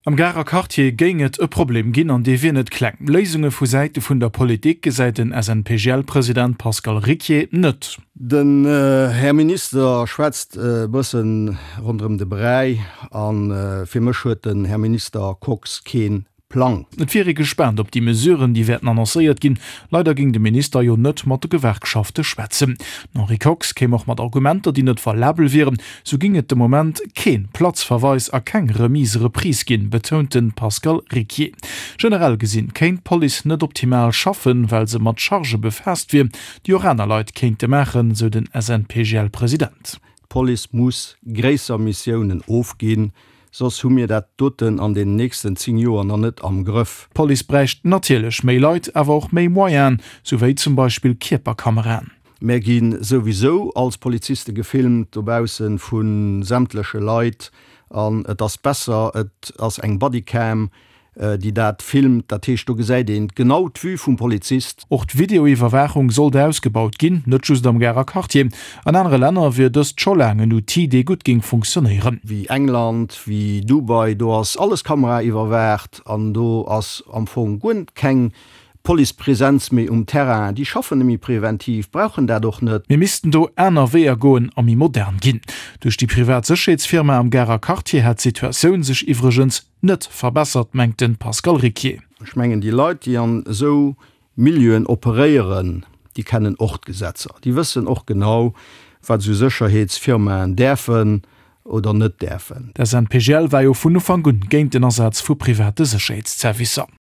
Am Garer Quartier géing et e Problem ginn, an dee wier net kleng. Léisunge vu Säite vun der Politik gesäit den SNPGL-President Pascal Ricquier net. Den Här Minister schwätzt e bëssen ronderëm de Bräi a fir mech huet den Här Minister Kox kee Plang. Et wier ee gespaant op déi Mesuren, déi wäerten annoncéiert ginn. Leider géing de Minister jo net mat de Gewerkschafte schwätzen. Den Henri Kox kéim och mat Argumenter, déi net valabel wieren. Sou ging et de Moment kee Platzverweis a keng Remise-Reprise ginn, betount de Pascal Ricquier. Generell gesinn kéint d'Police net optimal schaffen, well se mat Chargë befaasst wier, déi och aner Leit kéinte maachen, sou den SNPGL-President. D'Police muss gréisser Missiounen ofginn, soss hu mir dat doten an den nächsten 10 Joer nach net am Grëff. D'Police bräicht natierlech méi Leit, awer och méi Moyenen, sou wéi zum Beispill Kierperkameraen. Mär gi souwisou als Poliziste gefilmt dobausse vu sämtleche Leit an et ass besser, et ass eng Bodycam, déi dat filmt. Dat heescht, do gesäit een genau d'Vue vum Polizist. Och d'Videoiwwerwaachung sollt ausgebaut ginn, net just am Garer Quartier. An anere Länner wier dëst scho laang en Outil, dee gutt géing funktionéieren. Wéi England, wéi Dubai, do ass alles kameraiwwerwaacht an do ass am Fong guer keng Policepresenz méi um Terrain, déi schaffen net méi preventiv, brauchen dat och net. Mir missten do aner Weeër goen a méi modern ginn. Duerch déi privat Sécherheetsfirma am Garer Quartier hätt d'Situatioun sech iwwregens net verbessert, mengt de Pascal Ricquier. Ech mengen, déi Leit, déi an esou Milieuen operéieren, déi kennen och d'Gesetzer. Déi wëssen och genau, wat esou Sécherheetsfirmaen däerfen oder net däerfen. D'SNPGL war jo vun Ufank un géint den Asaz vu private Sécherheetszervicer.